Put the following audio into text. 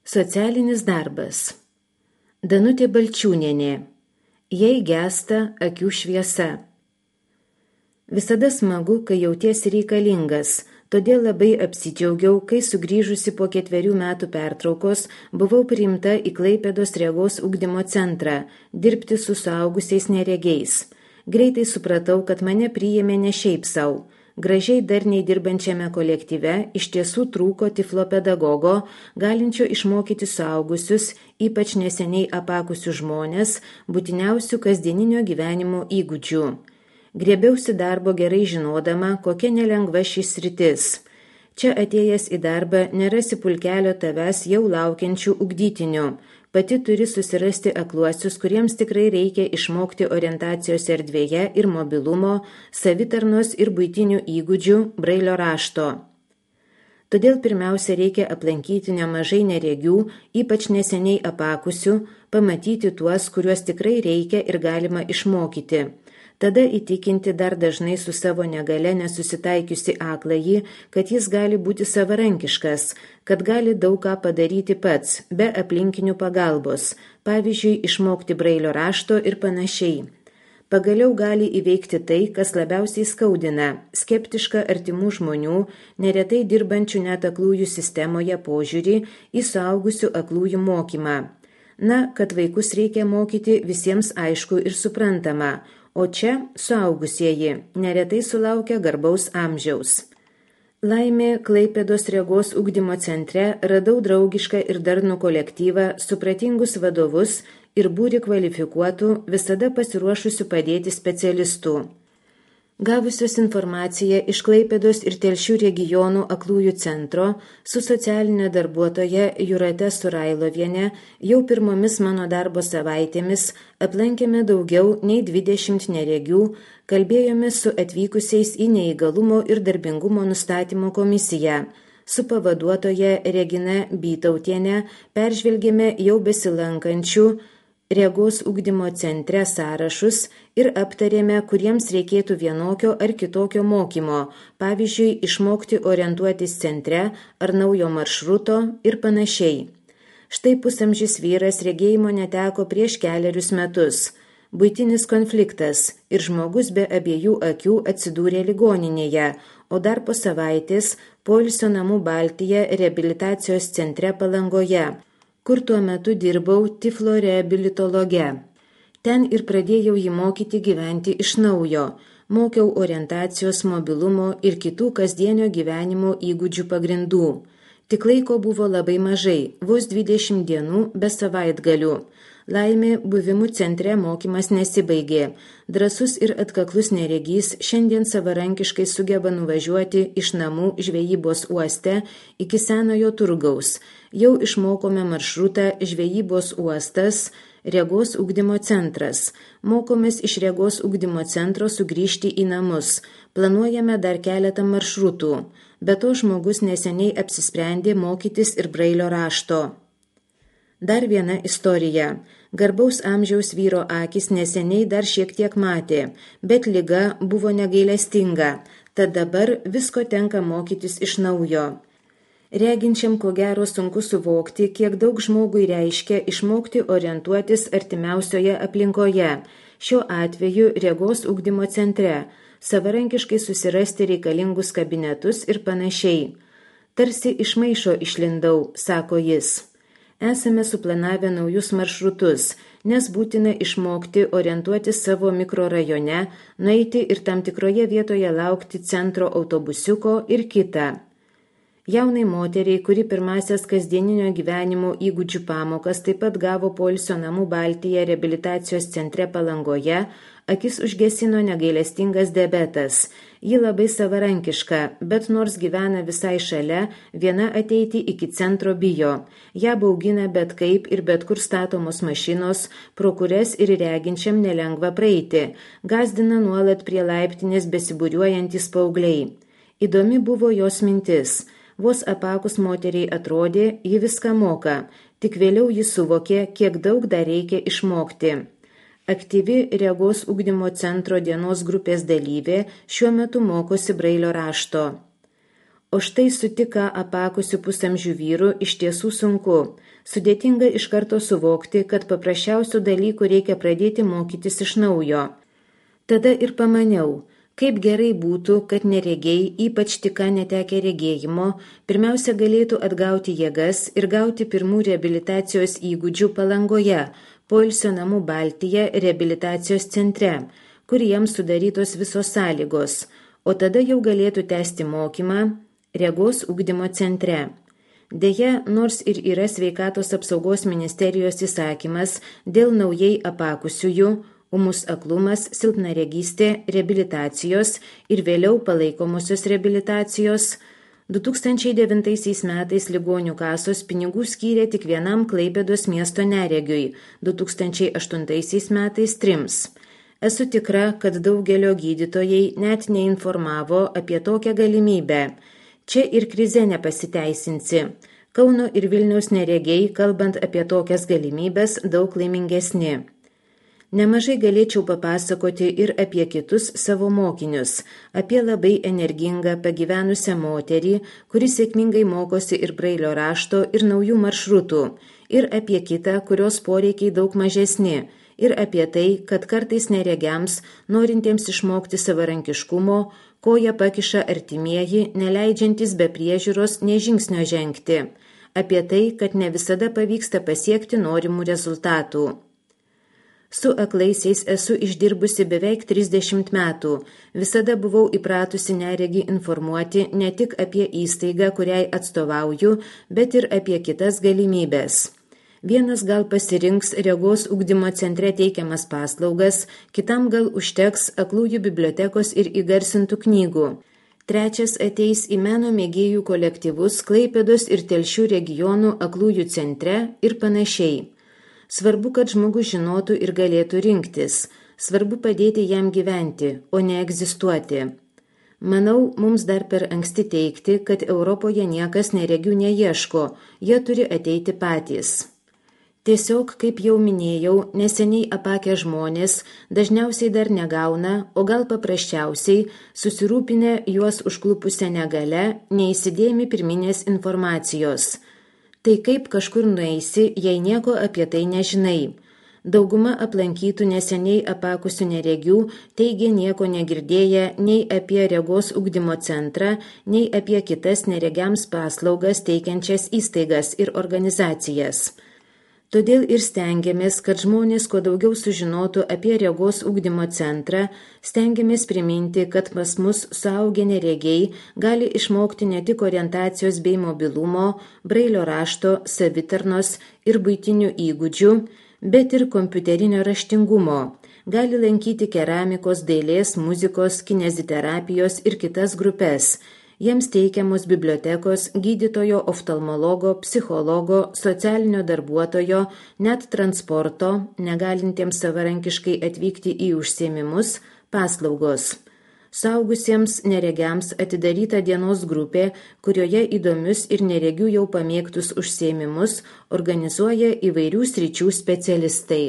Socialinis darbas. Danutė Balčiūnienė. Jei gęsta akių šviesa. Visada smagu, kai jautiesi reikalingas, todėl labai apsidžiaugiau, kai sugrįžusi po 4 metų pertraukos buvau priimta į Klaipėdos regos ugdymo centrą dirbti su suaugusiais neregiais. Greitai supratau, kad mane priėmė ne šiaip sau. Gražiai darniai dirbančiame kolektyve iš tiesų trūko tiflopedagogo, galinčio išmokyti suaugusius, ypač neseniai apakusius žmonės, būtiniausių kasdieninio gyvenimo įgūdžių. Griebiausi darbo gerai žinodama, kokia nelengva šis sritis. Čia atėjęs į darbą nerasi pulkelio tavęs jau laukiančių ugdytinių. Pati turi susirasti akluosius, kuriems tikrai reikia išmokti orientacijos erdvėje ir mobilumo, savitarnos ir buitinių įgūdžių brailio rašto. Todėl pirmiausia reikia aplankyti nemažai neregių, ypač neseniai apakusių, pamatyti tuos, kuriuos tikrai reikia ir galima išmokyti. Tada įtikinti dar dažnai su savo negale nesusitaikiusi akląjį, kad jis gali būti savarankiškas, kad gali daug ką padaryti pats, be aplinkinių pagalbos, pavyzdžiui, išmokti brailio rašto ir panašiai. Pagaliau gali įveikti tai, kas labiausiai skaudina – skeptišką artimų žmonių, neretai dirbančių net aklųjų sistemoje požiūrį į suaugusių aklųjų mokymą. Na, kad vaikus reikia mokyti visiems aišku ir suprantama, o čia suaugusieji neretai sulaukia garbaus amžiaus. Laimė, Klaipėdos regos ugdymo centre radau draugišką ir darnų kolektyvą, supratingus vadovus ir būrį kvalifikuotų, visada pasiruošusių padėti specialistų. Gavusios informaciją iš Klaipėdos ir Telšių regionų aklųjų centro su socialinė darbuotoja Jūrate Surailoviene jau pirmomis mano darbo savaitėmis aplankėme daugiau nei 20 neregių, kalbėjome su atvykusiais į neįgalumo ir darbingumo nustatymo komisiją. Su pavaduotoja Regina Bytautiene peržvelgėme jau besilankančių regos ugdymo centre sąrašus ir aptarėme, kuriems reikėtų vienokio ar kitokio mokymo, pavyzdžiui, išmokti orientuotis centre ar naujo maršruto ir panašiai. Štai pusamžis vyras regėjimo neteko prieš 4 metus. Buitinis konfliktas ir žmogus be abiejų akių atsidūrė ligoninėje, o dar po savaitės poilsio namų Baltija reabilitacijos centre Palangoje, kur tuo metu dirbau tiflo reabilitologe. Ten ir pradėjau jį mokyti gyventi iš naujo, mokiau orientacijos, mobilumo ir kitų kasdienio gyvenimo įgūdžių pagrindų. Tik laiko buvo labai mažai, vos 20 dienų be savaitgalių. Laimė, buvimu centre mokymas nesibaigė. Drąsus ir atkaklus neregys šiandien savarankiškai sugeba nuvažiuoti iš namų žvejybos uoste iki senojo turgaus. Jau išmokome maršrutą žvejybos uostas, regos ugdymo centras. Mokomės iš regos ugdymo centro sugrįžti į namus. Planuojame dar keletą maršrutų. Be to žmogus neseniai apsisprendė mokytis ir brailio rašto. Dar viena istorija. Garbaus amžiaus vyro akis neseniai dar šiek tiek matė, bet liga buvo negailestinga, tad dabar visko tenka mokytis iš naujo. Reginčiam ko gero sunku suvokti, kiek daug žmogui reiškia išmokti orientuotis artimiausioje aplinkoje, šiuo atveju regos ugdymo centre, savarankiškai susirasti reikalingus kabinetus ir panašiai. Tarsi iš maišo išlindau, sako jis. Esame suplanavę naujus maršrutus, nes būtina išmokti orientuotis savo mikrorajone, nueiti ir tam tikroje vietoje laukti centro autobusiuko ir kitą. Jaunai moteriai, kuri pirmasias kasdieninio gyvenimo įgūdžių pamokas taip pat gavo poilsio namų Baltija reabilitacijos centre Palangoje, akis užgesino negailestingas diabetas. Ji labai savarankiška, bet nors gyvena visai šalia, viena ateiti iki centro bijo. Ją baugina bet kaip ir bet kur statomos mašinos, pro kurias ir reginčiam nelengva praeiti. Gazdina nuolat prie laiptinės besibūriuojantys paaugliai. Įdomi buvo jos mintis. Vos apakus moteriai atrodė, ji viską moka, tik vėliau ji suvokė, kiek daug dar reikia išmokti. Aktyvi regos ugdymo centro dienos grupės dalyvė šiuo metu mokosi brailio rašto. O štai su tik ką apakusiu pusamžių vyru iš tiesų sunku. Sudėtinga iš karto suvokti, kad paprasčiausių dalykų reikia pradėti mokytis iš naujo. Tada ir pamaniau, kaip gerai būtų, kad neregiai, ypač tik ką netekę regėjimo, pirmiausia galėtų atgauti jėgas ir gauti pirmų reabilitacijos įgūdžių Palangoje, poilsio namų Baltija reabilitacijos centre, kur jiems sudarytos visos sąlygos, o tada jau galėtų tęsti mokymą regos ugdymo centre. Deja, nors ir yra Sveikatos apsaugos ministerijos įsakymas dėl naujai apakusiųjų, ūmus aklumas, silpnaregystė, reabilitacijos ir vėliau palaikomosios reabilitacijos, 2009 metais ligonių kasos pinigų skyrė tik vienam Klaipėdos miesto neregiui, 2008 metais 3. Esu tikra, kad daugelio gydytojai net neinformavo apie tokią galimybę. Čia ir krize nepasiteisinsi. Kauno ir Vilniaus neregiai, kalbant apie tokias galimybės, daug laimingesni. Nemažai galėčiau papasakoti ir apie kitus savo mokinius, apie labai energingą pagyvenusią moterį, kuri sėkmingai mokosi ir brailio rašto ir naujų maršrutų, ir apie kitą, kurios poreikiai daug mažesni, ir apie tai, kad kartais neregiams, norintiems išmokti savarankiškumo, koja pakiša artimieji, neleidžiantis be priežiūros nė žingsnio žengti, apie tai, kad ne visada pavyksta pasiekti norimų rezultatų. Su aklaisiais esu išdirbusi beveik 30 metų, visada buvau įpratusi neregį informuoti ne tik apie įstaigą, kuriai atstovauju, bet ir apie kitas galimybės. Vienas gal pasirinks regos ugdymo centre teikiamas paslaugas, kitam gal užteks aklųjų bibliotekos ir įgarsintų knygų. Trečias ateis į meno mėgėjų kolektyvus Klaipėdos ir Telšių regionų aklųjų centre ir panašiai. Svarbu, kad žmogus žinotų ir galėtų rinktis. Svarbu padėti jam gyventi, o ne egzistuoti. Manau, mums dar per anksti teigti, kad Europoje niekas neregių neieško, jie turi ateiti patys. Tiesiog, kaip jau minėjau, neseniai apakę žmonės dažniausiai dar negauna, o gal paprasčiausiai susirūpinę juos užklupusią negalią, neįsidėmi pirminės informacijos. Tai kaip kažkur nueisi, jei nieko apie tai nežinai. Dauguma aplankytų neseniai apakusių neregių teigia nieko negirdėję nei apie regos ugdymo centrą, nei apie kitas neregiams paslaugas teikiančias įstaigas ir organizacijas. Todėl ir stengiamės, kad žmonės kuo daugiau sužinotų apie regos ugdymo centrą, stengiamės priminti, kad pas mus suaugę neregiai gali išmokti ne tik orientacijos bei mobilumo, brailio rašto, savitarnos ir buitinių įgūdžių, bet ir kompiuterinio raštingumo. Gali lankyti keramikos, dailės, muzikos, kineziterapijos ir kitas grupės. Jiems teikiamos bibliotekos, gydytojo, oftalmologo, psichologo, socialinio darbuotojo, net transporto, negalintiems savarankiškai atvykti į užsiėmimus, paslaugos. Suaugusiems neregiams atidaryta dienos grupė, kurioje įdomius ir neregių jau pamėgtus užsiėmimus organizuoja įvairių sričių specialistai.